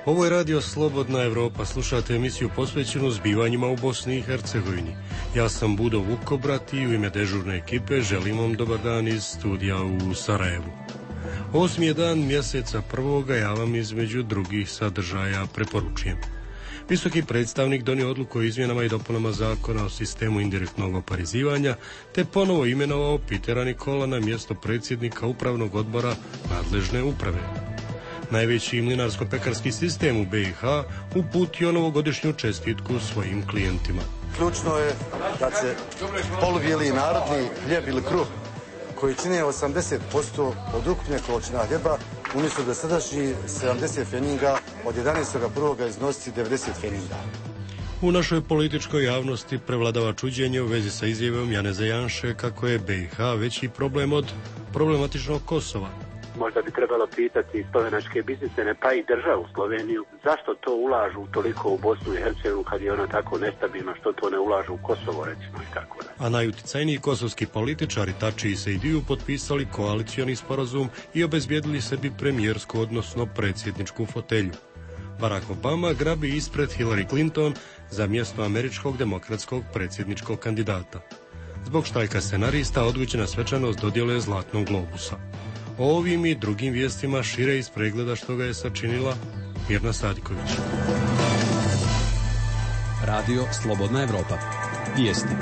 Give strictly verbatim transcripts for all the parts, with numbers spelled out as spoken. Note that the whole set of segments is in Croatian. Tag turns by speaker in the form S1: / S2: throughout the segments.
S1: Ovo je radio Slobodna Evropa, slušate emisiju posvećenu zbivanjima u Bosni i Hercegovini. Ja sam Budo Vukobrat i u ime dežurne ekipe želim vam dobar dan iz studija u Sarajevu. Osmi je dan mjeseca prvoga, ja vam između drugih sadržaja preporučujem. Visoki predstavnik donio odluku o izmjenama i dopunama zakona o sistemu indirektnog oporezivanja, te ponovo imenovao Petera Nikola na mjesto predsjednika upravnog odbora nadležne uprave. Najveći mlinarsko-pekarski sistem u be i ha uputio novogodišnju čestitku svojim klijentima.
S2: Ključno je da će polubijeli narodni hljeb ili kruh, koji čine osamdeset posto od ukupne količine hljeba, umjesto dosadašnjih sedamdeset pfenninga, od jedanaestog prvog iznositi devedeset pfenninga.
S1: U našoj političkoj javnosti prevladava čuđenje u vezi sa izjavom Janeza Janše kako je be i ha veći problem od problematičnog Kosova.
S3: Možda bi trebalo pitati slovenačke biznismene, pa i državu Sloveniju, zašto to ulažu toliko u Bosnu i Hercegovinu kad je ona tako nestabilna, što to ne ulažu u Kosovo, recimo, i tako da.
S1: A najuticajniji kosovski političari Tači i Sejdiju potpisali koalicioni sporazum i obezbijedili sebi premijersku, odnosno predsjedničku fotelju. Barack Obama grabi ispred Hillary Clinton za mjesto američkog demokratskog predsjedničkog kandidata. Zbog štrajka scenarista odgođena svečanost dodjele Zlatnog globusa. O ovim i drugim vijestima šire iz pregleda što ga je sačinila Mirna Sadiković.
S4: Radio Slobodna Evropa. Vijesti.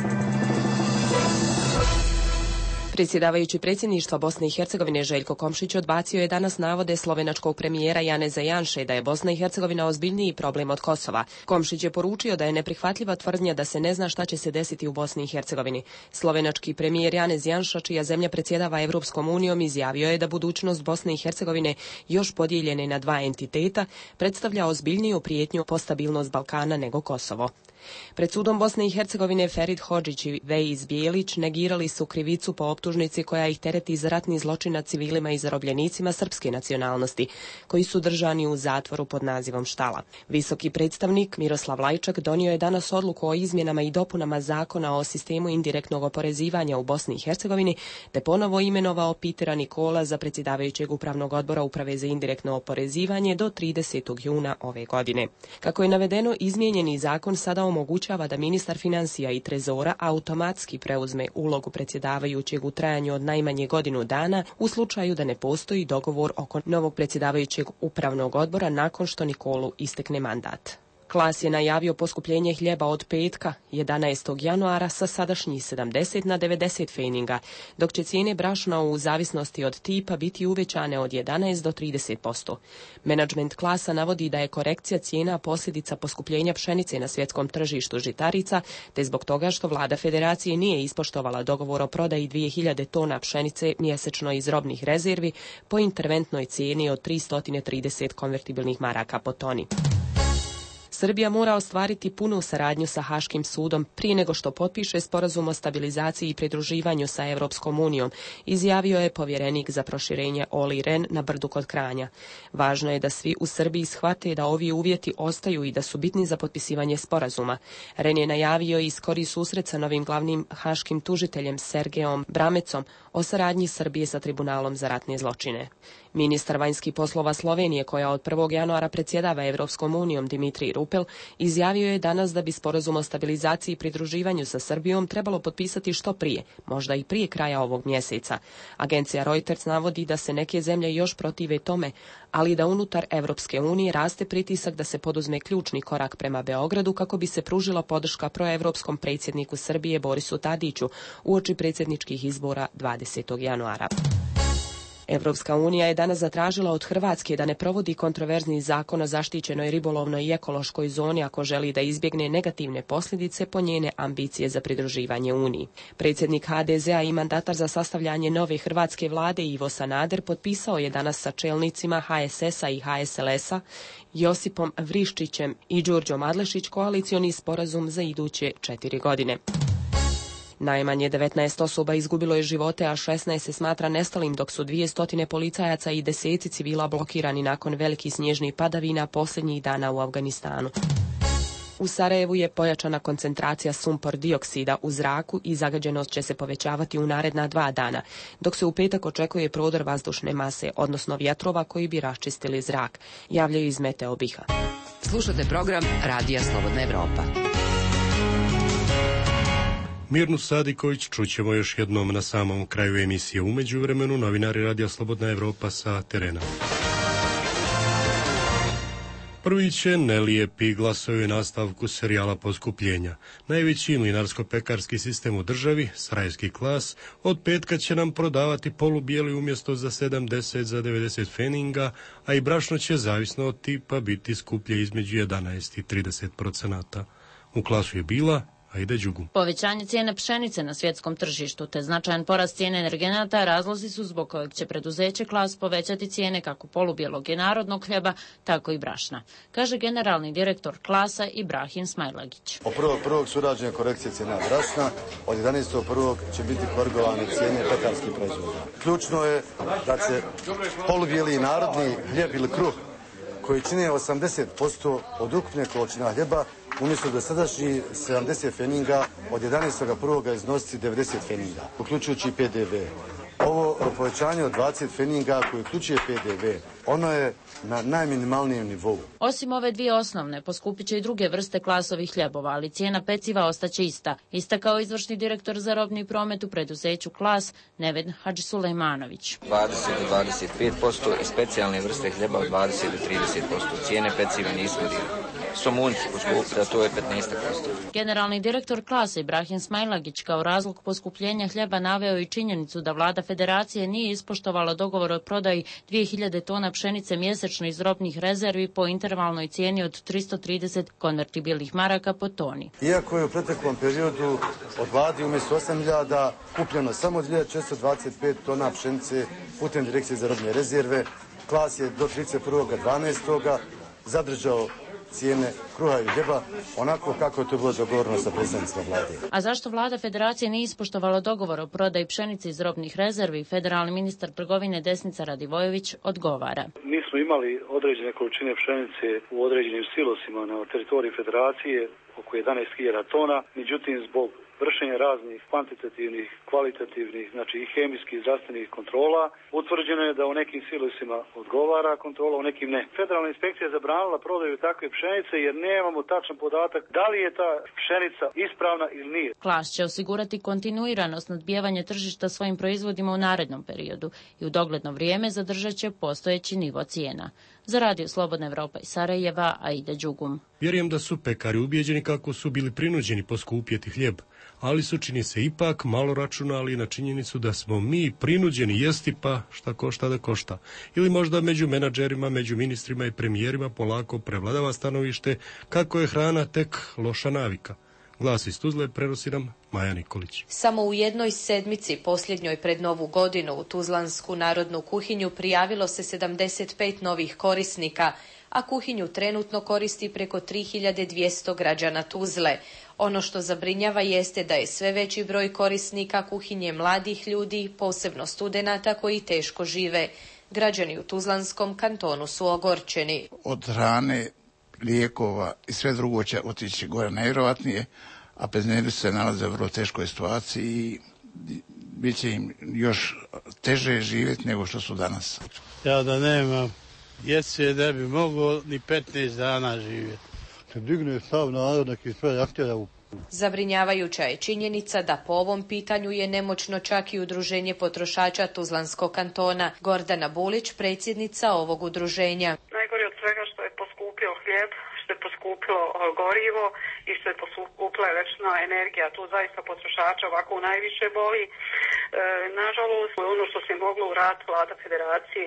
S5: Predsjedavajući predsjedništva Bosne i Hercegovine Željko Komšić odbacio je danas navode slovenačkog premijera Janeza Janše da je Bosna i Hercegovina ozbiljniji problem od Kosova. Komšić je poručio da je neprihvatljiva tvrdnja da se ne zna šta će se desiti u Bosni i Hercegovini. Slovenački premijer Janez Janša, čija zemlja predsjedava Evropskom unijom, izjavio je da budućnost Bosne i Hercegovine, još podijeljene na dva entiteta, predstavlja ozbiljniju prijetnju po stabilnost Balkana nego Kosovo. Pred sudom Bosne i Hercegovine Ferid Hodžić i Vejiz Bijelić negirali su krivicu po optužnici koja ih tereti za ratni zločin nad civilima i zarobljenicima srpske nacionalnosti, koji su držani u zatvoru pod nazivom Štala. Visoki predstavnik Miroslav Lajčak donio je danas odluku o izmjenama i dopunama zakona o sistemu indirektnog oporezivanja u Bosni i Hercegovini, te ponovo imenovao Petera Nikola za predsjedavajućeg upravnog odbora Uprave za indirektno oporezivanje do tridesetog juna ove godine. Kako je navedeno, izmijenjeni zakon sada omogućava da ministar financija i trezora automatski preuzme ulogu predsjedavajućeg u trajanju od najmanje godinu dana u slučaju da ne postoji dogovor oko novog predsjedavajućeg upravnog odbora nakon što Nikolu istekne mandat. Klas je najavio poskupljenje hljeba od petka, jedanaestog januara, sa sadašnjih sedamdeset na devedeset pfenninga, dok će cijene brašna u zavisnosti od tipa biti uvećane od jedanaest do trideset posto. Menadžment klasa navodi da je korekcija cijena posljedica poskupljenja pšenice na svjetskom tržištu žitarica, te zbog toga što vlada federacije nije ispoštovala dogovor o prodaji dvije hiljade tona pšenice mjesečno iz robnih rezervi po interventnoj cijeni od tristo trideset konvertibilnih maraka po toni. Srbija mora ostvariti punu saradnju sa Haškim sudom prije nego što potpiše sporazum o stabilizaciji i pridruživanju sa Evropskom unijom, izjavio je povjerenik za proširenje Oli Ren na Brdu kod Kranja. Važno je da svi u Srbiji shvate da ovi uvjeti ostaju i da su bitni za potpisivanje sporazuma. Ren je najavio i skori susret sa novim glavnim haškim tužiteljem Sergejom Bramecom o saradnji Srbije sa Tribunalom za ratne zločine. Ministar vanjskih poslova Slovenije, koja od prvog januara predsjedava Evropskom unijom, Dimitrij Rupel, izjavio je danas da bi sporazum o stabilizaciji i pridruživanju sa Srbijom trebalo potpisati što prije, možda i prije kraja ovog mjeseca. Agencija Reuters navodi da se neke zemlje još protive tome, ali da unutar Evropske unije raste pritisak da se poduzme ključni korak prema Beogradu kako bi se pružila podrška proevropskom predsjedniku Srbije Borisu Tadiću uoči predsjedničkih izbora dvadesetog januara. Evropska unija je danas zatražila od Hrvatske da ne provodi kontroverzni zakon o zaštićenoj ribolovnoj i ekološkoj zoni ako želi da izbjegne negativne posljedice po njene ambicije za pridruživanje Uniji. Predsjednik ha de zea i mandatar za sastavljanje nove hrvatske vlade Ivo Sanader potpisao je danas sa čelnicima ha es esa i ha es el esa, Josipom Vriščićem i Đurđom Adlešić koalicioni sporazum za iduće četiri godine. Najmanje devetnaest osoba izgubilo je živote, a šesnaest se smatra nestalim, dok su dvije stotine policajaca i deseci civila blokirani nakon velikih snježnih padavina posljednjih dana u Afganistanu. U Sarajevu je pojačana koncentracija sumpor dioksida u zraku i zagađenost će se povećavati u naredna dva dana, dok se u petak očekuje prodor vazdušne mase, odnosno vjetrova koji bi raščistili zrak, javljaju iz Meteo BiH-a.
S6: Slušate program Radija Slobodna Evropa.
S1: Mirnu Sadiković čućemo još jednom na samom kraju emisije. U međuvremenu novinari Radija Slobodna Evropa sa terena. Prvi će nelijepi glasovi nastavku serijala poskupljenja. Najveći mlinarsko-pekarski sistem u državi, Sarajevski klas, od petka će nam prodavati polubijeli umjesto za sedamdeset za devedeset feninga, a i brašno će, zavisno od tipa, biti skuplje između jedanaest i trideset procenata. U klasu je bila Aida Đugum.
S7: Povećanje cijene pšenice na svjetskom tržištu te značajan porast cijene energenata razlozi su zbog kojeg će preduzeće Klas povećati cijene kako polubijelog i narodnog hljeba, tako i brašna, kaže generalni direktor Klasa Ibrahim Smajlagić.
S2: Od prvog prvog su urađene korekcije cijena brašna, od jedanaestog prvog će biti korigovane cijene pekarskih proizvoda. Ključno je da će polubijeli narodni hljeb ili kruh, koji čine osamdeset posto od ukupne količina hljeba, umjesto dosadašnjih sedamdeset feninga, od jedanaestog prvog iznositi devedeset feninga, uključujući i P D V. Ovo povećanje od dvadeset feninga koji uključuje P D V, ono je na najminimalnijem nivou.
S7: Osim ove dvije osnovne, poskupit će i druge vrste klasovih hljebova, ali cijena peciva ostaće ista, istakao izvršni direktor za robni promet u preduzeću Klas Neved Hadžisulejmanović.
S8: dvadeset do dvadeset pet posto i specijalne vrste hljeba od dvadeset do trideset posto. Cijene peciva nisu dirane. Somunci poskupiti, a to je petnaest posto.
S7: Generalni direktor Klasa Ibrahim Smajlagić kao razlog poskupljenja hljeba naveo i činjenicu da vlada federacije nije ispoštovala dogovor o prodaji dvije hiljade tona pšenice mjesečno iz robnih rezervi po intervalnoj cijeni od tristo trideset konvertibilnih maraka po toni.
S2: Iako je u proteklom periodu od vladi umjesto osam hiljada kupljeno samo dvije hiljade četiristo dvadeset pet tona pšenice putem direkcije za robne rezerve, Klas je do trideset prvog dvanaestog zadržao cijene kruha i hljeba onako kako je to bilo dogovoreno sa predstavnicima vlade.
S7: A zašto vlada federacije nije ispoštovala dogovor o prodaji pšenice iz robnih rezervi, federalni ministar trgovine Desnica Radivojević odgovara.
S9: Mi smo imali određene količine pšenice u određenim silosima na teritoriji federacije, oko jedanaest hiljada tona, međutim zbog vršenja raznih kvantitativnih, kvalitativnih, znači i hemijskih i zdravstvenih kontrola, utvrđeno je da u nekim silosima odgovara kontrola, u nekim ne. Federalna inspekcija je zabranila prodaju takve pšenice jer nemamo tačan podatak da li je ta pšenica ispravna ili nije.
S7: Klas će osigurati kontinuiranost nadbijevanja tržišta svojim proizvodima u narednom periodu i u dogledno vrijeme zadržat će postojeći nivo cijena. Za Radio Slobodna Evropa iz Sarajeva, Aida Đugum.
S1: Vjerujem da su pekari ubijeđeni kako su bili prinuđeni poskupjeti hljeb, ali su, čini se, ipak malo računali na činjenicu da smo mi prinuđeni jesti pa šta košta da košta. Ili možda među menadžerima, među ministrima i premijerima polako prevladava stanovište kako je hrana tek loša navika. Glas iz Tuzle prenosi nam Maja Nikolić.
S10: Samo u jednoj sedmici, posljednjoj pred Novu godinu, u Tuzlansku narodnu kuhinju prijavilo se sedamdeset pet novih korisnika, a kuhinju trenutno koristi preko tri hiljade dvjesto građana Tuzle. Ono što zabrinjava jeste da je sve veći broj korisnika kuhinje mladih ljudi, posebno studenata koji teško žive. Građani u Tuzlanskom kantonu su ogorčeni.
S11: Od hrane, lijekova i sve drugo će otići gore najvjerojatnije, a penzioneri se nalaze u vrlo teškoj situaciji i bit će im još teže živjeti nego što su danas.
S12: Ja da nemam jesi ne bi mogao ni petnaest dana živjeti. Kad digne sav narod, neki sve jahtjera u...
S10: Zabrinjavajuća je činjenica da po ovom pitanju je nemoćno čak i udruženje potrošača Tuzlanskog kantona. Gordana Bulić, predsjednica ovog udruženja.
S13: Najgore od svega što je poskupio hljeb, što je poskupilo gorivo i što je poskupila električna energija. Tu zaista potrošača ovako najviše boli. E, nažalost, ono što se moglo uraditi vlada federacije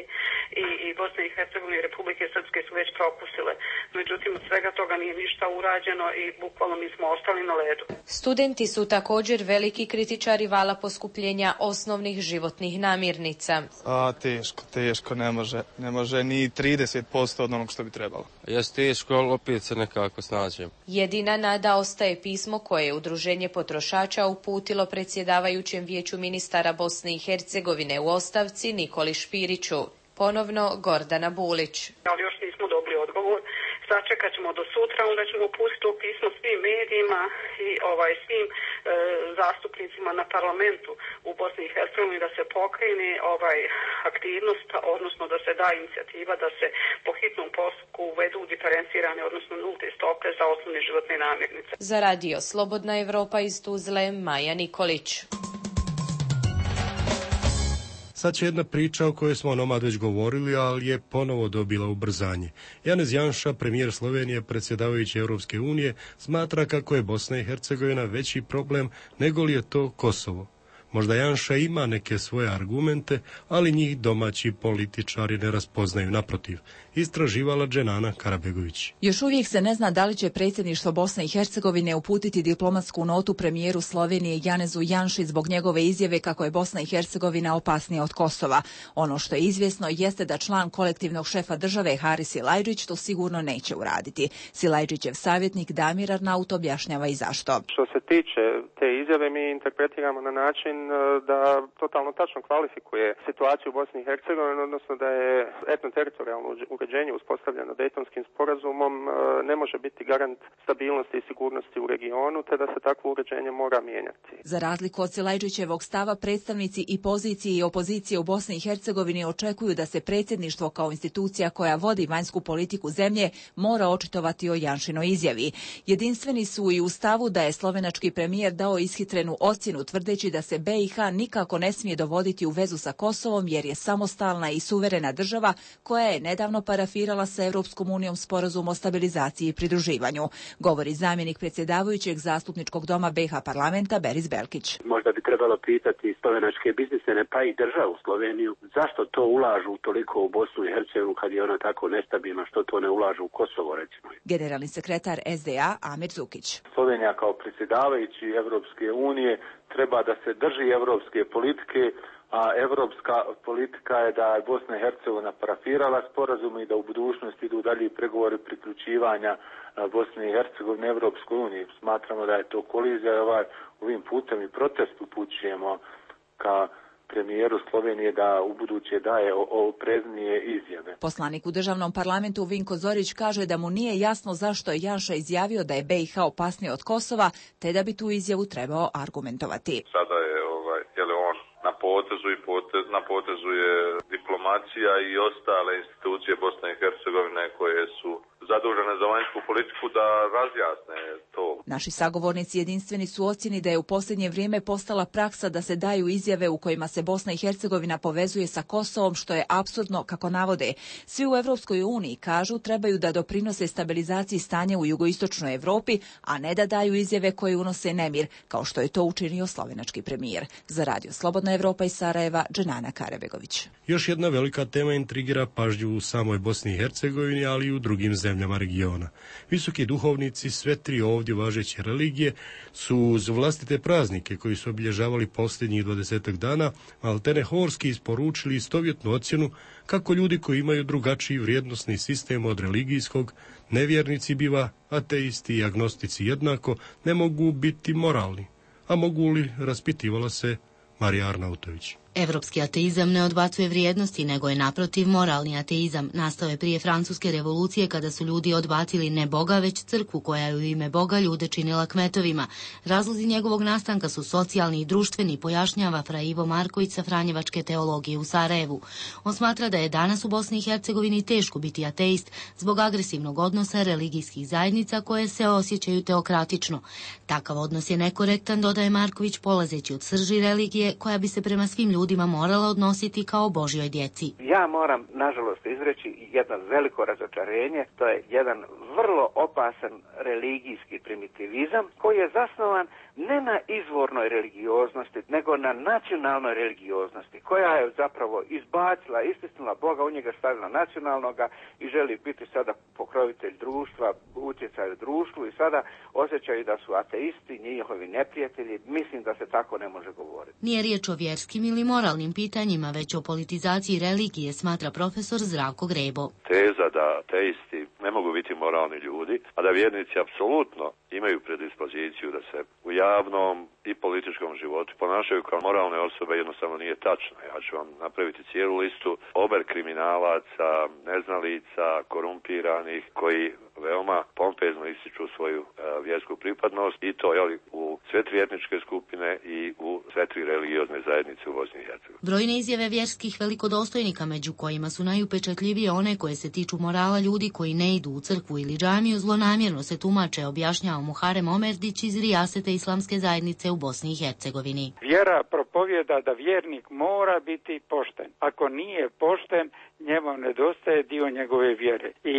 S13: i, i Bosne i Hercegovine i Republike Srpske su već propustile. Međutim, od svega toga nije ništa urađeno i bukvalno mi smo ostali na ledu.
S10: Studenti su također veliki kritičari vala poskupljenja osnovnih životnih namirnica.
S14: A, teško, teško, ne može, ne može ni trideset posto od onog što bi trebalo.
S15: Jes teško, ali opet se nekako snađem.
S10: Jedina nada ostaje pismo koje je Udruženje potrošača uputilo predsjedavajućem vijeću ministara Bosne i Hercegovine u ostavci Nikoli Špiriću. Ponovno Gordana Bulić.
S13: Ali još nismo dobili odgovor. sačekat ćemo do sutra, onda ćemo pustiti to pismo svim medijima i ovaj svim e, zastupnicima na parlamentu u Bosni i Hercegovini da se pokrene ovaj aktivnost, odnosno da se da inicijativa da se po hitnom postupku uvedu diferencirane, odnosno nulte stope za osnovne životne namirnice.
S10: Za radio Slobodna Evropa iz Tuzle, Maja Nikolić.
S1: Sad će jedna priča o kojoj smo onomad već govorili, ali je ponovo dobila ubrzanje. Janez Janša, premijer Slovenije, predsjedavajući Europske unije, smatra kako je Bosna i Hercegovina veći problem nego li je to Kosovo. Možda Janša ima neke svoje argumente, ali njih domaći političari ne raspoznaju, naprotiv. Istraživala Dženana Karabegović.
S16: Još uvijek se ne zna da li će predsjedništvo Bosne i Hercegovine uputiti diplomatsku notu premijeru Slovenije Janezu Janši zbog njegove izjave kako je Bosna i Hercegovina opasnija od Kosova. Ono što je izvjesno jeste da član kolektivnog šefa države Haris Silajdžić to sigurno neće uraditi. Silajdžićev savjetnik Damir Arnaut objašnjava i zašto.
S17: Što se tiče te izjave, mi interpretiramo na način da totalno tačno kvalifikuje situaciju u Bosni i Hercegovini, odnosno da je etnoteritorijalno uređenje uspostavljeno Dejtonskim sporazumom ne može biti garant stabilnosti i sigurnosti u regionu, te da se takvo uređenje mora mijenjati.
S16: Za razliku od Silajdžićevog stava, predstavnici i pozicije i opozicije u Bosni i Hercegovini očekuju da se predsjedništvo kao institucija koja vodi vanjsku politiku zemlje mora očitovati o Janšinoj izjavi. Jedinstveni su i u stavu da je slovenački premijer dao ishitrenu ocjenu tvrdeći da se B i H nikako ne smije dovoditi u vezu sa Kosovom jer je samostalna i suverena država koja je nedavno parafirala sa Europskom unijom sporazum o stabilizaciji i pridruživanju, govori zamjenik predsjedavajućeg zastupničkog doma B i H parlamenta Beris Belkić.
S3: Možda bi trebalo pitati slovenačke biznismene pa i državu Sloveniju zašto to ulažu toliko u Bosnu i Hercegovinu kad je ona tako nestabilna, što to ne ulažu u Kosovo recimo.
S16: Generalni sekretar S D A Amir Zukić.
S18: Slovenija kao predsjedavajući Evropske unije treba da se drži evropske politike, a evropska politika je da je Bosna i Hercegovina parafirala sporazum i da u budućnosti idu dalje pregovori priključivanja Bosne i Hercegovine Evropskoj uniji. Smatramo da je to kolizija i ovaj, ovim putem i protest upućujemo ka premijeru Slovenije da u buduće daje opreznije izjave.
S16: Poslanik u državnom parlamentu Vinko Zorić kaže da mu nije jasno zašto je Janša izjavio da je B i H opasnije od Kosova, te da bi tu izjavu trebao argumentovati.
S19: Sada je, ovaj, je li on na potezu i potez, na potezu je diplomacija i ostale institucije Bosne i Hercegovine koje su zadužene za vanjsku politiku da razjasne to.
S16: Naši sagovornici jedinstveni su ocjeni da je u posljednje vrijeme postala praksa da se daju izjave u kojima se Bosna i Hercegovina povezuje sa Kosovom, što je apsurdno, kako navode. Svi u Europskoj uniji kažu trebaju da doprinose stabilizaciji stanja u jugoistočnoj Europi, a ne da daju izjave koje unose nemir, kao što je to učinio slovenački premijer. Za radio Slobodna Evropa iz Sarajeva, Dženana Karabegović.
S1: Još jedna velika tema intrigira pažnju u samoj Bosni i Hercegovini, ali i u drugim zemljama regiona. Visoki duhovnici sve tri ovdje važeće religije su uz vlastite praznike koji su obilježavali posljednjih dvadesetak dana maltene horski isporučili istovjetnu ocjenu kako ljudi koji imaju drugačiji vrijednosni sistem od religijskog, nevjernici biva, ateisti i agnostici jednako, ne mogu biti moralni. A mogu li, raspitivala se Marija Arnautović.
S20: Evropski ateizam ne odbacuje vrijednosti, nego je naprotiv moralni ateizam. Nastao je prije Francuske revolucije kada su ljudi odbacili ne Boga, već crkvu koja je u ime Boga ljude činila kmetovima. Razlozi njegovog nastanka su socijalni i društveni, pojašnjava fra Ivo Marković sa Franjevačke teologije u Sarajevu. On smatra da je danas u Bosni i Hercegovini teško biti ateist zbog agresivnog odnosa religijskih zajednica koje se osjećaju teokratično. Takav odnos je nekorektan, dodaje Marković, polazeći od srži religije koja bi se prema svim ljudima ljudima morala odnositi kao Božjoj djeci.
S21: Ja moram, nažalost, izreći jedno veliko razočarenje. To je jedan vrlo opasan religijski primitivizam koji je zasnovan ne na izvornoj religioznosti, nego na nacionalnoj religioznosti, koja je zapravo izbacila, istisnula Boga, u njega stavila nacionalnoga i želi biti sada pokrovitelj društva, utjecaj u društvu i sada osjećaju da su ateisti, njihovi neprijatelji. Mislim da se tako ne može govoriti.
S20: Nije riječ o vjerskim ili moralnim pitanjima, već o politizaciji religije, smatra profesor Zdravko Grebo.
S19: Teza da ateisti ne mogu biti moralni ljudi, a da vjernici apsolutno imaju predispoziciju da se u javnom i političkom životu ponašaju kao moralne osobe, jednostavno nije tačno. Ja ću vam napraviti cijelu listu ober kriminalaca, neznalica, korumpiranih, koji veoma pompezno ističu svoju uh, vjersku pripadnost i to jeli, u sve tri etničke skupine i u sve tri religiozne zajednice u Bosni i Hercegovini.
S20: Brojne izjave vjerskih velikodostojnika, među kojima su najupečatljivije one koje se tiču morala ljudi koji ne idu u crkvu ili džamiju, zlonamjerno se tumače, objašnjava Muharem Omerdić iz Rijasete islamske zajednice u Bosni i Hercegovini.
S4: Vjera propovjeda da vjernik mora biti pošten. Ako nije pošten, njemu nedostaje dio njegove vjere. I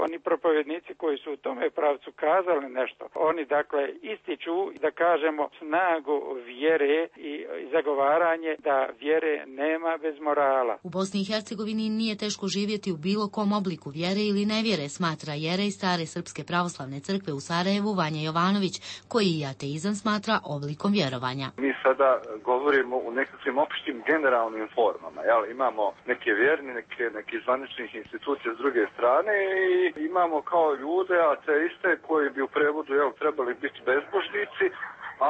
S4: oni propovjednici koji su u tome pravcu kazali nešto, oni dakle ističu, da kažemo, snagu vjere i zagovaranje da vjere nema bez morala.
S20: U Bosni i Hercegovini nije teško živjeti u bilo kom obliku vjere ili nevjere, smatra jerej Stare Srpske pravoslavne crkve u Sarajevu Vanja Jovanović, koji i ateizam smatra oblikom vjerovanja.
S22: Mi sada govorimo u nekakvim opštim generalnim formama. Jel? Imamo neke vjerni, neke, neke zvaničnih institucija s druge strane i imamo kao ljude, ateiste, koji bi u prevodu jel, trebali biti bezbožnici,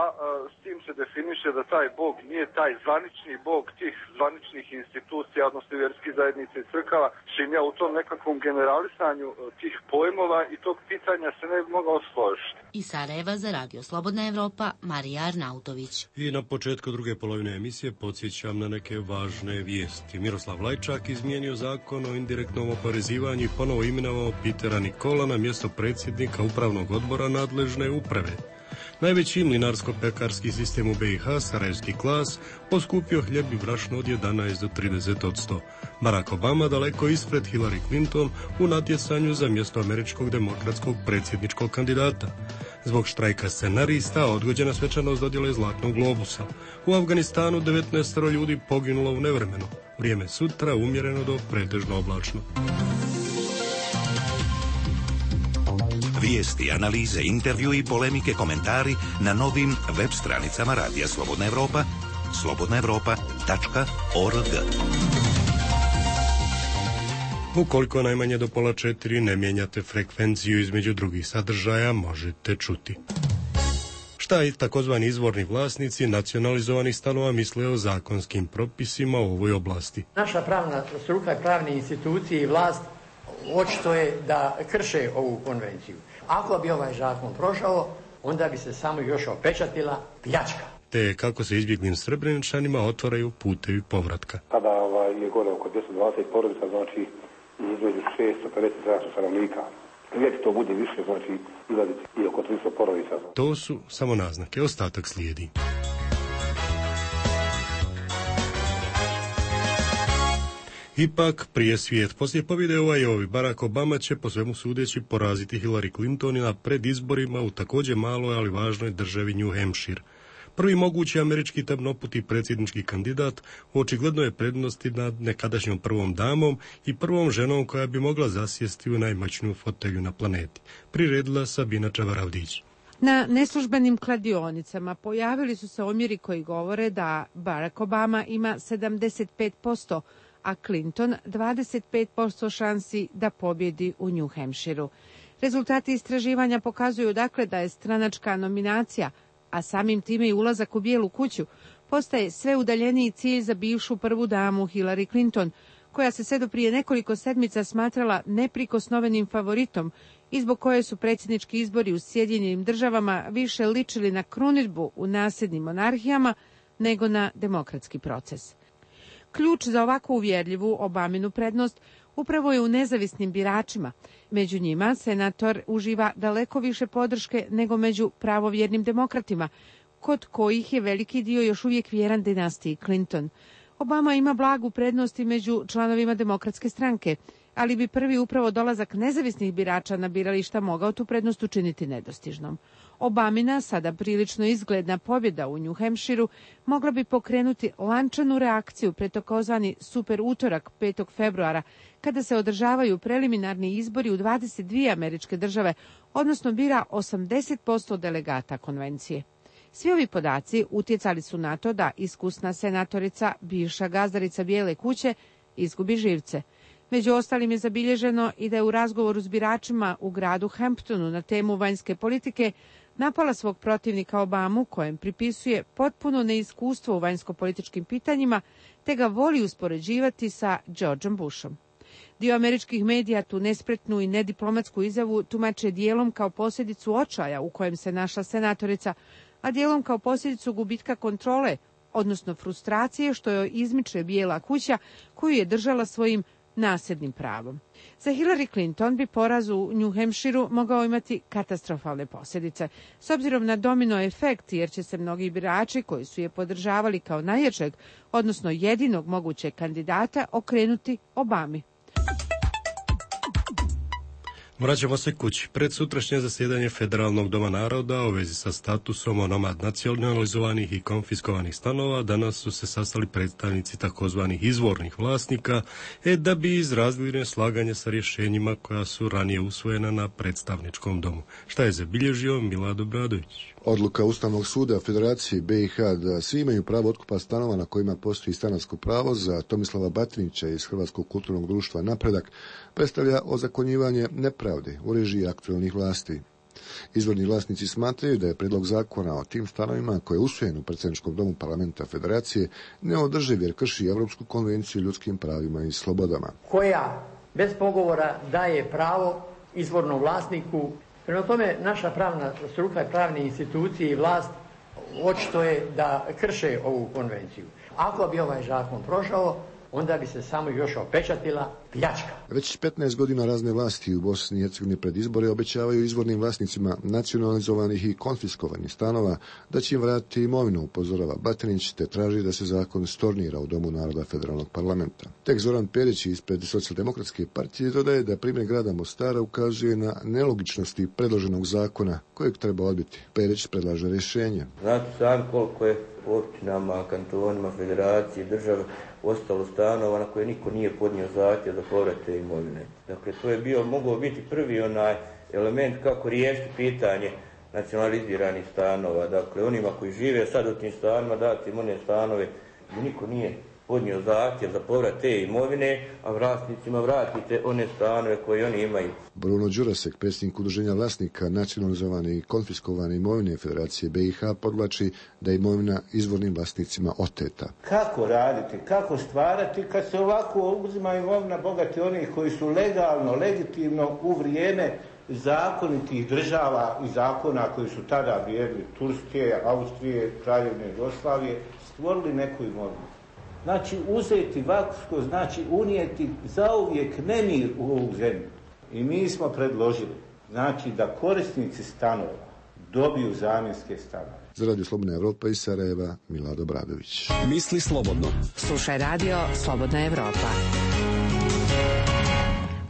S22: a, a s tim se definiše da taj Bog nije taj zvanični Bog tih zvaničnih institucija, odnosno vjerskih zajednica i crkava, čim ja u tom nekakvom generalisanju tih pojmova i tog pitanja se ne bi mogao složiti.
S20: Iz Sarajeva za Radio Slobodna Evropa, Marija Arnautović.
S1: I na početku druge polovine emisije podsjećam na neke važne vijesti. Miroslav Lajčak izmijenio zakon o indirektnom oporezivanju i ponovo imenovao Petera Nikola na mjesto predsjednika upravnog odbora nadležne uprave. Najveći mlinarsko-pekarski sistem u B i H, Sarajevski Klas, poskupio hljeb i brašno od jedanaest do trideset posto. Barack Obama daleko ispred Hillary Clinton u natjecanju za mjesto američkog demokratskog predsjedničkog kandidata. Zbog štrajka scenarista odgođena svečanost dodjele Zlatnog globusa. U Afganistanu devetnaest ljudi poginulo u nevremenu. Vrijeme sutra umjereno do pretežno oblačno.
S23: Vijesti, analize, intervju i polemike, komentari na novim web stranicama Radija Slobodna Evropa, slobodna evropa tačka org.
S1: Ukoliko najmanje do pola četiri ne mijenjate frekvenciju između drugih sadržaja, možete čuti. Šta i takozvani izvorni vlasnici nacionalizovanih stanova misle o zakonskim propisima u ovoj oblasti?
S24: Naša pravna struka i pravne institucije i vlast očito je da krše ovu konvenciju. Ako bi ovaj zakon prošao, onda bi se samo još opečatila pljačka.
S1: Te kako se izbjeglim Srebreničanima otvaraju putevi povratka.
S25: Kada ovaj, je gore oko dvjesto dvadeset porodica, znači između šesto pedeset stanovnika. Uvijek to bude više, znači izladiti i oko tristo porodica.
S1: To su samo naznake, ostatak slijedi. Ipak, prije svijet. Poslije pobjede u Iowi, Barack Obama će po svemu sudeći poraziti Hillary Clinton na pred izborima u također maloj, ali važnoj državi New Hampshire. Prvi mogući američki tamnoputi predsjednički kandidat očigledno je prednosti nad nekadašnjom prvom damom i prvom ženom koja bi mogla zasjesti u najmoćniju fotelju na planeti. Priredila Sabina Čavaravdić.
S26: Na neslužbenim kladionicama pojavili su se omjeri koji govore da Barack Obama ima sedamdeset pet posto, a Clinton dvadeset pet posto šansi da pobjedi u New Hampshireu. Rezultati istraživanja pokazuju dakle da je stranačka nominacija, a samim time i ulazak u Bijelu kuću, postaje sve udaljeniji cilj za bivšu prvu damu Hillary Clinton, koja se sve do prije nekoliko sedmica smatrala neprikosnovenim favoritom i zbog koje su predsjednički izbori u Sjedinjenim državama više ličili na krunidbu u nasljednim monarhijama nego na demokratski proces. Ključ za ovako uvjerljivu Obaminu prednost upravo je u nezavisnim biračima. Među njima senator uživa daleko više podrške nego među pravovjernim demokratima, kod kojih je veliki dio još uvijek vjeran dinastiji Clinton. Obama ima blagu prednost i među članovima demokratske stranke, ali bi prvi upravo dolazak nezavisnih birača na birališta mogao tu prednost učiniti nedostižnom. Obamina, sada prilično izgledna pobjeda u New Hampshireu, mogla bi pokrenuti lančanu reakciju pred takozvani super utorak petog februara, kada se održavaju preliminarni izbori u dvadeset dvije američke države, odnosno bira osamdeset posto delegata konvencije. Svi ovi podaci utjecali su na to da iskusna senatorica, bivša gazdarica Bijele kuće, izgubi živce. Među ostalim je zabilježeno i da je u razgovoru s biračima u gradu Hamptonu na temu vanjske politike napala svog protivnika Obamu, kojem pripisuje potpuno neiskustvo u vanjsko-političkim pitanjima, te ga voli uspoređivati sa Georgeom Bushom. Dio američkih medija tu nespretnu i nediplomatsku izjavu tumače dijelom kao posljedicu očaja u kojem se našla senatorica, a dijelom kao posljedicu gubitka kontrole, odnosno frustracije što joj izmiče Bijela kuća koju je držala svojim nasljednim pravom. Za Hillary Clinton bi poraz u New Hampshireu mogao imati katastrofalne posljedice, s obzirom na domino efekt, jer će se mnogi birači koji su je podržavali kao najjačeg, odnosno jedinog mogućeg kandidata, okrenuti Obami.
S1: Vraćamo se kući. Pred sutrašnje zasjedanje Federalnog doma naroda u vezi sa statusom onomad nacionalizovanih i konfiskovanih stanova danas su se sastali predstavnici takozvanih izvornih vlasnika e da bi izrazili neslaganje sa rješenjima koja su ranije usvojena na predstavničkom domu. Šta je zabilježio Milad Obradović?
S2: Odluka Ustavnog suda Federacije be i ha da svi imaju pravo otkupa stanova na kojima postoji stanarsko pravo za Tomislava Batinića iz Hrvatskog kulturnog društva Napredak predstavlja ozakonjivanje nepravde u režiji aktualnih vlasti. Izvorni vlasnici smatraju da je predlog zakona o tim stanovima koji je usvojen u predsjedničkom domu parlamenta Federacije neodrživ jer krši Europsku konvenciju o ljudskim pravima i slobodama.
S24: Koja bez pogovora daje pravo izvornom vlasniku. Prema tome, naša pravna struka i pravne institucije i vlast očito je da krše ovu konvenciju. Ako bi ovaj zakon prošao, onda bi se samo još opečatila pljačka.
S2: Već petnaest godina razne vlasti u Bosni i Hercegovini pred izbore obećavaju izvornim vlasnicima nacionalizovanih i konfiskovanih stanova da će im vratiti imovinu, upozorava Batinić, te traži da se zakon stornira u Domu naroda Federalnog parlamenta. Tek Zoran Perić ispred Socijaldemokratske partije dodaje da primjer grada Mostara ukazuje na nelogičnosti predloženog zakona kojeg treba odbiti. Perić predlaže rješenje.
S5: Znate sami koliko je u općinama, kantonima, federacije, države ostalo stanova na koje niko nije podnio zahtjev za povrat te imovine. Dakle, to je bio, mogao biti prvi onaj element kako riješiti pitanje nacionaliziranih stanova. Dakle, onima koji žive sad u tim stanovima dati im one stanove gdje niko nije podnio zahtjev za povrat te imovine, a vlasnicima vratite one stanove koje oni imaju.
S2: Bruno Đurasek, predsjednik udruženja vlasnika nacionalizovane i konfiskovane imovine Federacije be i ha, podvlači da je imovina izvornim vlasnicima oteta.
S6: Kako raditi, kako stvarati kad se ovako uzima imovina bogati onih koji su legalno, legitimno u vrijeme zakonitih država i zakona koji su tada vrijedili, Turske, Austrije, Kraljevine Jugoslavije, stvorili neku imovinu. Znači, uzeti vakufsko, znači unijeti zauvijek nemir u ovu zemlju. I mi smo predložili, znači, da korisnici stanova dobiju zamjenske stanove.
S2: Za Radio Slobodna Evropa iz Sarajeva, Milad Obradović.
S7: Misli slobodno.
S26: Slušaj Radio Slobodna Evropa.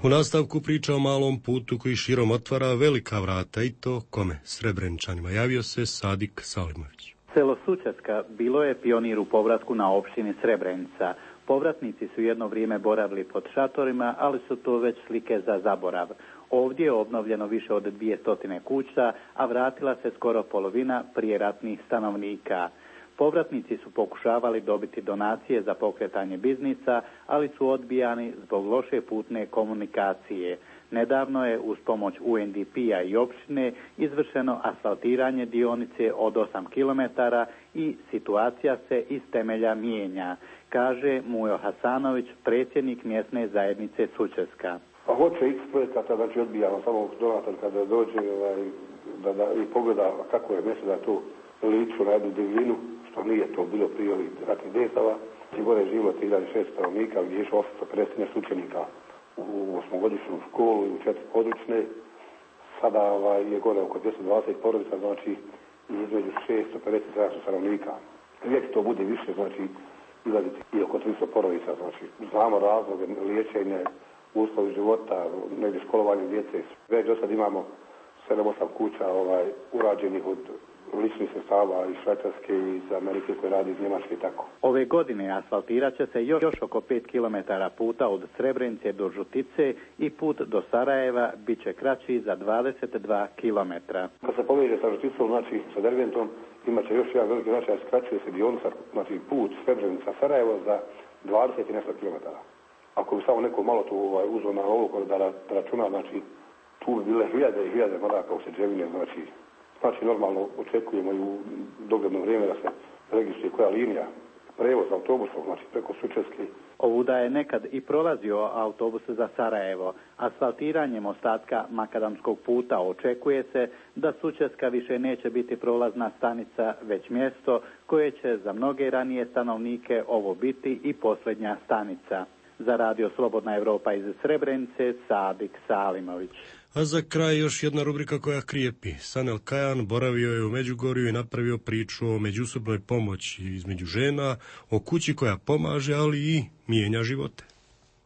S1: U nastavku priča o malom putu koji širom otvara velika vrata i to kome? Srebreničanima. Javio se Sadik Salimović.
S8: Selo Sučeska bilo je pionir u povratku na opštini Srebrenica. Povratnici su jedno vrijeme boravili pod šatorima, ali su to već slike za zaborav. Ovdje je obnovljeno više od dvije stotine kuća, a vratila se skoro polovina prijeratnih stanovnika. Povratnici su pokušavali dobiti donacije za pokretanje biznisa, ali su odbijani zbog loše putne komunikacije. Nedavno je uz pomoć u en de pe-a i opštine izvršeno asfaltiranje dionice od osam kilometara i situacija se iz temelja mijenja, kaže Mujo Hasanović, predsjednik mjesne zajednice Sučeska.
S25: Pa hoće x projekata, znači odbijamo samo donator kada dođe ovaj, da, da, i pogleda kako je mjesto da tu liču na jednu divljinu, što nije to bilo prije ovih ratnih dejstava. I gore je živjelo tri hiljade šesto stanovnika, gdje je išlo osamsto pedeset učenika u osmogodišnju školu i u četiri područne. Sada ovaj, je gore oko dvjesto dvadeset porodica, znači između šesto pedeset sedamsto stanovnika. Uvijek to bude više, znači izlaziti i oko tristo porodica, znači znamo razloge, liječenje, uslovi života, negdje školovanje djece. Već do sad imamo sedam osam kuća ovaj, urađenih od ličnih sredstava iz Švajcarske i iz Amerike koje radi iz Njemačke i tako.
S8: Ove godine asfaltirat će se još, još oko pet kilometara puta od Srebrenice do Žutice i put do Sarajeva bit će kraći za dvadeset dva kilometra.
S25: Kad se poveže sa Žuticom, znači sa Derventom, imat će još jedan veliki značaj, skraćuje se dionica, znači put Srebrenica-Sarajevo za dvadeset i nešto kilometara. Ako bi samo neko malo tu ovaj, uzeo na ovo da, da računa, znači tu bi bile hiljade i hiljade maraka u Sređevine, znači Znači, normalno očekujemo i u dogledno vrijeme da se registruje koja linija prevoz autobusom, znači preko Sučevske.
S8: Ovuda je nekad i prolazio autobus za Sarajevo. Asfaltiranjem ostatka makadamskog puta očekuje se da Sučevska više neće biti prolazna stanica, već mjesto koje će za mnoge ranije stanovnike ovo biti i posljednja stanica. Za radio Slobodna Evropa iz Srebrenice, Sadik Salimović.
S1: A za kraj još jedna rubrika koja krijepi. Sanel Kajan boravio je u Međugorju i napravio priču o međusobnoj pomoći između žena, o kući koja pomaže, ali i mijenja živote.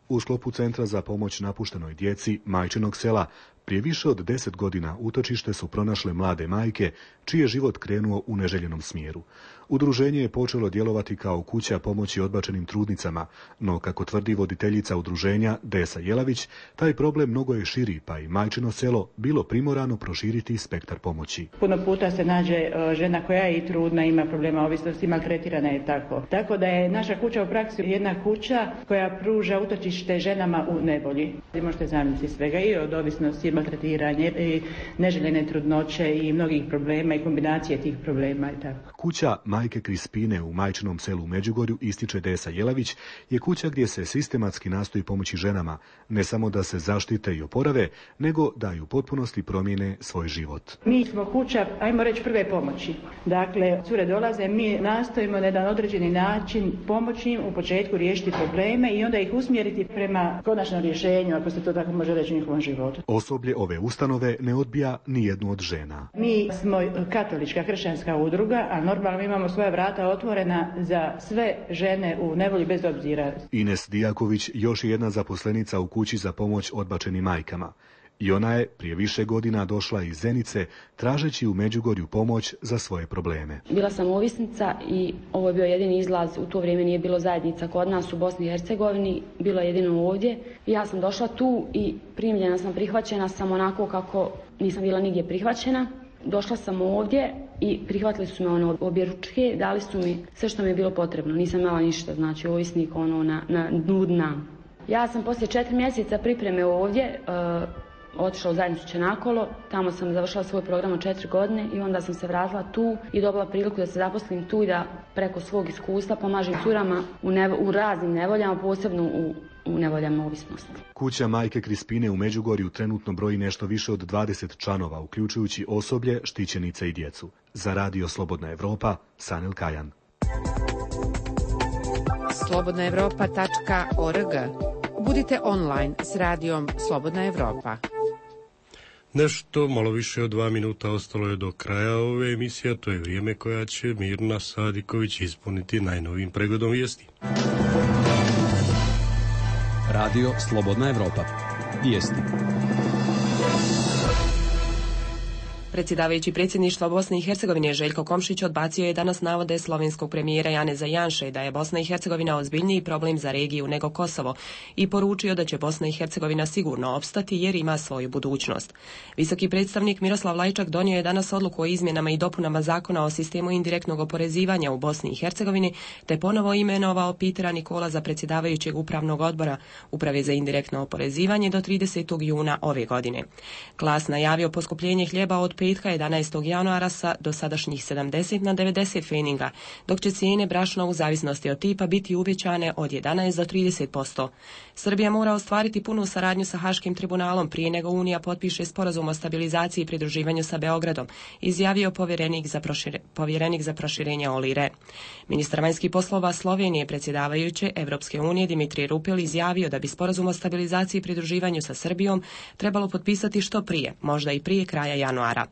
S7: U sklopu Centra za pomoć napuštenoj djeci Majčinog sela prije više od deset godina utočište su pronašle mlade majke čiji je život krenuo u neželjenom smjeru. Udruženje je počelo djelovati kao kuća pomoći odbačenim trudnicama, no kako tvrdi voditeljica udruženja Desa Jelavić, taj problem mnogo je širi, pa i Majčino selo bilo primorano proširiti spektar pomoći.
S9: Puno puta se nađe žena koja je i trudna, ima problema ovisnosti, maltretirana je tako. Tako da je naša kuća u praksi jedna kuća koja pruža utočište ženama u nevolji. Vi možete zamisliti svega i od ovisnosti, maltretiranje, i neželjene trudnoće i mnogih problema i kombinacije tih problema i tako.
S7: Kuća majke Krispine u Majčinom selu u Međugorju, ističe Desa Jelavić, je kuća gdje se sistematski nastoji pomoći ženama, ne samo da se zaštite i oporave, nego da i u potpunosti promijene svoj život.
S9: Mi smo kuća, ajmo reći, prve pomoći. Dakle, cure dolaze, mi nastojimo na jedan određeni način pomoći im u početku riješiti probleme i onda ih usmjeriti prema konačnom rješenju, ako se to tako može reći, u njihovom životu.
S7: Osoblje ove ustanove ne odbija ni jednu od žena.
S9: Mi smo katolička hršćanska udruga, a normalno imamo svoja vrata otvorena za sve žene u nevolji bez obzira.
S7: Ines Dijaković još je jedna zaposlenica u kući za pomoć odbačenim majkama. I ona je prije više godina došla iz Zenice tražeći u Međugorju pomoć za svoje probleme.
S11: Bila sam ovisnica i ovo je bio jedini izlaz. U to vrijeme nije bilo zajednica kod nas u Bosni i Hercegovini, bilo je jedino ovdje. Ja sam došla tu i primljena sam, prihvaćena sam onako kako nisam bila nigdje prihvaćena. Došla sam ovdje i prihvatili su me ono objeručke, dali su mi sve što mi je bilo potrebno. Nisam imala ništa, znači ovisnik ono na, na dnu dna. Ja sam poslije četiri mjeseca pripreme ovdje uh, otišla u zajednicu Čenakolo, tamo sam završila svoj program od četiri godine i onda sam se vratila tu i dobila priliku da se zaposlim tu i da preko svog iskustva pomažem curama u, nevo, u raznim nevoljama, posebno u, u nevoljama ovisnosti.
S7: Kuća majke Krispine u Međugorju trenutno broji nešto više od dvadeset članova, uključujući osoblje, štićenice i djecu. Za radio Slobodna Evropa, Sanel Kajan.
S26: slobodna evropa tačka org. Budite online s radijom Slobodna Evropa.
S1: Nešto malo više od dva minuta ostalo je do kraja ove emisije, to je vrijeme koja će Mirna Sadiković ispuniti najnovijim pregledom vijesti.
S12: Radio Slobodna Evropa. Vijesti.
S14: Predsjedavajući predsjedništva Bosne i Hercegovine Željko Komšić odbacio je danas navode slovenskog premijera Janeza Janše da je Bosna i Hercegovina ozbiljniji problem za regiju nego Kosovo i poručio da će Bosna i Hercegovina sigurno opstati jer ima svoju budućnost. Visoki predstavnik Miroslav Lajčak donio je danas odluku o izmjenama i dopunama zakona o sistemu indirektnog oporezivanja u Bosni i Hercegovini te ponovo imenovao Pitera Nikola za predsjedavajućeg upravnog odbora Uprave za indirektno oporezivanje do tridesetog juna ove godine. Klas najavio poskupljenje hljeba od petka jedanaestog januara sa dosadašnjih sedamdeset na devedeset feninga, dok će cijene brašna u zavisnosti od tipa biti uvećane od jedanaest do trideset posto. Srbija mora ostvariti punu saradnju sa Haškim tribunalom prije nego Unija potpiše sporazum o stabilizaciji i pridruživanju sa Beogradom, izjavio povjerenik za, prošire, povjerenik za proširenje Olli Rehn. Ministar vanjskih poslova Slovenije predsjedavajuće Evropske unije Dimitrij Rupel izjavio da bi sporazum o stabilizaciji i pridruživanju sa Srbijom trebalo potpisati što prije, možda i prije kraja januara.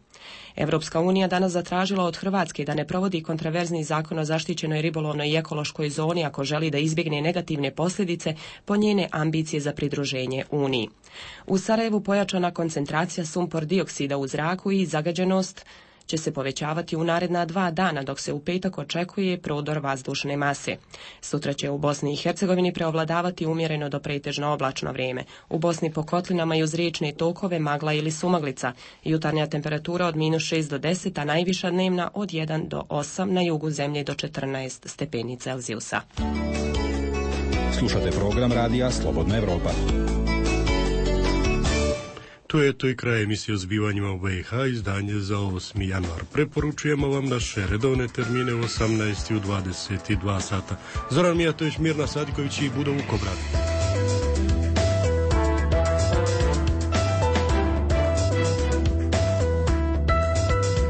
S14: Evropska unija danas zatražila od Hrvatske da ne provodi kontraverzni zakon o zaštićenoj ribolovnoj i ekološkoj zoni ako želi da izbjegne negativne posljedice po njene ambicije za pridruženje Uniji. U Sarajevu pojačana koncentracija sumpor dioksida u zraku i zagađenost će se povećavati u naredna dva dana, dok se u petak očekuje prodor vazdušne mase. Sutra će u Bosni i Hercegovini preovladavati umjereno do pretežno oblačno vrijeme. U Bosni po kotlinama i uz riječne tokove magla ili sumaglica. Jutarnja temperatura od minus šest do deset, a najviša dnevna od jedan do osam, na jugu zemlje do četrnaest stepeni Celzijusa.
S12: Slušate program radija Slobodna Evropa.
S1: To je to i kraj emisije o zbivanjima u B i H, izdanje za osmi januar. Preporučujemo vam naše redovne termine u osamnaest i u dvadeset dva sata. Zoran Mijatović, Mirna Sadiković i Budo Vukobrad.